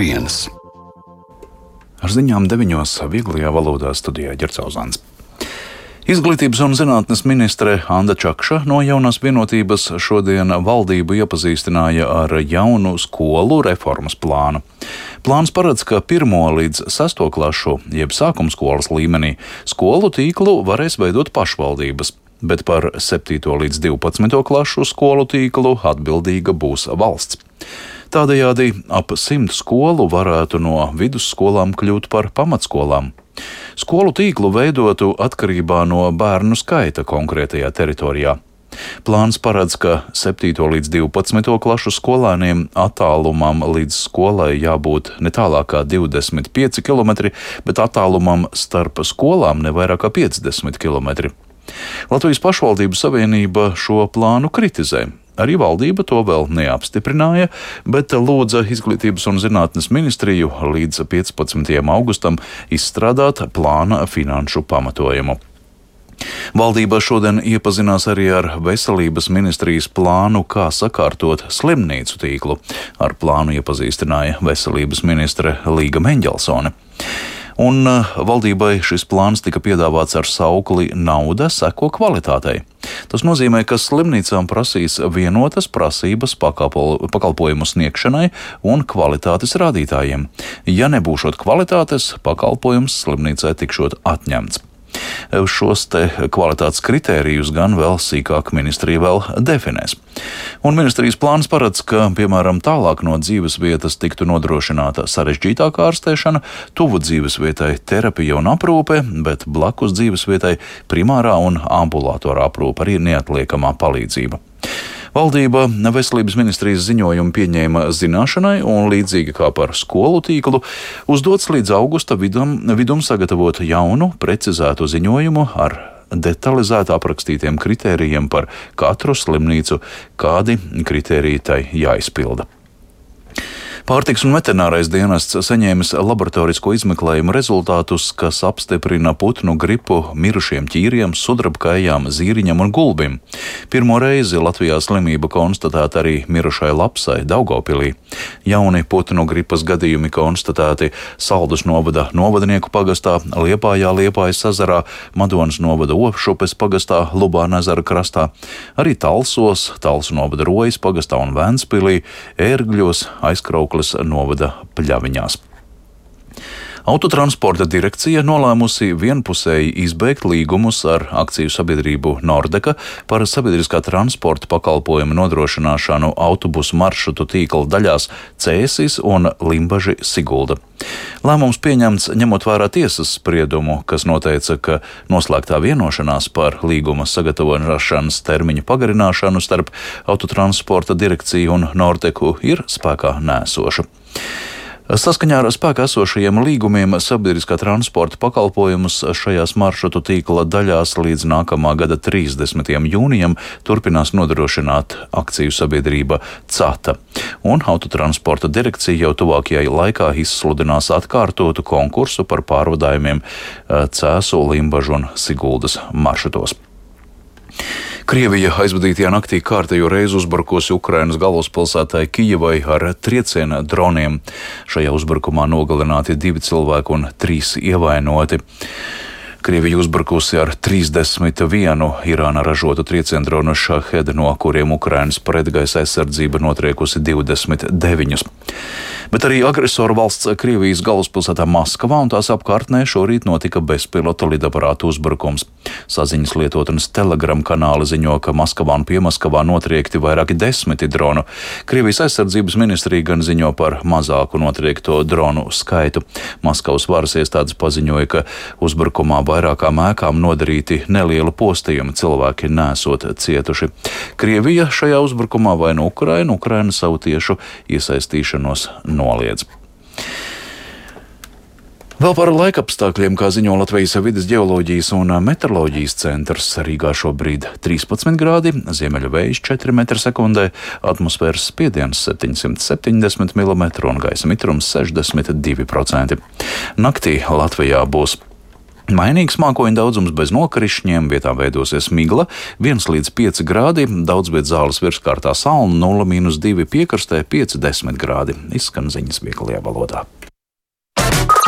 1. Ar ziņām 9. vieglajā valodā studijā Ģercauzāns. Izglītības un zinātnes ministre Anda Čakša no Jaunās vienotības šodien valdību iepazīstināja ar jaunu skolu reformas plānu. Plāns paredz, ka 1. līdz 6. klašu, jeb sākumskolas līmenī, skolu tīklu varēs veidot pašvaldības, bet par 7. līdz 12. klašu skolu tīklu atbildīga būs valsts. Tādējādi ap 100 skolu varētu no vidusskolām kļūt par pamatskolām. Skolu tīklu veidotu atkarībā no bērnu skaita konkrētajā teritorijā. Plāns paredz, ka 7. līdz 12. klašu skolēniem attālumam līdz skolai jābūt ne tālāk kā 25 km, bet attālumam starp skolām ne vairāk kā 50 km. Latvijas pašvaldību savienība šo plānu kritizē. Arī valdība to vēl neapstiprināja, bet lūdza Izglītības un zinātnes ministriju līdz 15. augustam izstrādāt plāna finanšu pamatojumu. Valdība šodien iepazinās arī ar Veselības ministrijas plānu, kā sakārtot slimnīcu tīklu. Ar plānu iepazīstināja Veselības ministre Līga Meņģelsone. Un valdībai šis plāns tika piedāvāts ar saukli "Nauda seko kvalitātei". Tas nozīmē, ka slimnīcām prasīs vienotas prasības pakalpojumu sniegšanai un kvalitātes rādītājiem. Ja nebūšot kvalitātes, pakalpojums slimnīcai tikšot atņemts. Šos te kvalitātes kritērijus gan vēl sīkāk ministrija vēl definēs. Un ministrijas plāns paredz, ka, piemēram, tālāk no dzīves vietas tiktu nodrošināta sarežģītāka ārstēšana, tuvu dzīves vietai terapija un aprūpe, bet blakus dzīves vietai primārā un ambulatorā aprūpe, arī neatliekamā palīdzība. Valdība Veselības ministrijas ziņojumu pieņēma zināšanai un, līdzīgi kā par skolu tīklu, uzdots līdz augusta vidum sagatavot jaunu, precizētu ziņojumu ar detalizēti aprakstītiem kritērijiem par katru slimnīcu, kādi kritēriji tai jāizpilda. Pārtiks un veterinārais dienests saņēmis laboratorisko izmeklējumu rezultātus, kas apstiprina putnu gripu mirušiem ķīriem, sudrabkājām, zīriņam un gulbim. Pirmo reizi Latvijā slimība konstatēta arī mirušai lapsai Daugavpilī. Jauni putnu gripas gadījumi konstatēti Saldus novada Novadnieku pagastā, Liepājā, Liepājas ezerā, Madonas novada Opšupes pagastā, Lubāna ezera krastā, arī Talsos, Talsu novada Rojas pagastā un Ventspilī, Ērgļos, Aizkraukles novada Pļaviņās. Autotransporta direkcija nolēmusi vienpusēji izbeigt līgumus ar akciju sabiedrību Nordeka par sabiedriskā transporta pakalpojumu nodrošināšanu autobusu maršrutu tīkla daļās Cēsis un Limbaži Sigulda. Lēmums pieņemts ņemot vērā tiesas spriedumu, kas noteica, ka noslēgtā vienošanās par līguma sagatavošanas termiņu pagarināšanu starp Autotransporta direkciju un Nordeku ir spēkā nēsoša. Saskaņā ar spēkā esošajiem līgumiem sabiedriskā transporta pakalpojumus šajās maršrutu tīkla daļās līdz nākamā gada 30. jūnijam turpinās nodrošināt akciju sabiedrība CATA, un Autotransporta direkcija jau tuvākajā laikā izsludinās atkārtotu konkursu par pārvadājumiem Cēsu, Limbažu un Siguldas maršrutos. Krievija aizvadītajā naktī kārtējo reizi uzbrukusi Ukrainas galvaspilsētai Kijevai ar trieciena droniem. Šajā uzbrukumā nogalināti 2 cilvēki un 3 ievainoti. Krievija uzbrukusi ar 31 Irāna ražotu trieciendronu Šahed, no kuriem Ukrainas pretgaisa aizsardzība notriekusi 29. Bet arī agresoru valsts Krievijas galvaspilsētā Maskavā un tās apkārtnē šorīt notika bezpilota lidaparātu uzbrukums. Saziņas lietotnes Telegram kanāli ziņo, ka Maskavā un Piemaskavā notriekti vairāki 10 dronu. Krievijas aizsardzības ministrija gan ziņo par mazāku notriekto dronu skaitu. Maskavas varas iestādes paziņoja, ka uzbrukumā vairākām ēkām nodarīti nelieli postījumi, cilvēki nesot cietuši. Krievija šajā uzbrukumā vaino Ukrainu, Ukraina savu tiešu iesaistīšanos noliedz. Vēl par laikapstākļiem, kā ziņo Latvijas vides ģeoloģijas un meteoroloģijas centrs, Rīgā šobrīd 13 grādi, ziemeļu vējš 4 m/sekundē, atmosfēras spiediens 770 mm un gaisa mitrums 62%. Naktī Latvijā būs Mainīgs mākoņu daudzums bez nokrišņiem, vietām veidosies migla, 1 līdz 5 grādi, daudz viet zāles virskārtā salna, 0–2 piekrastē, 5–10 grādi. Izskan ziņas vieglajā valodā.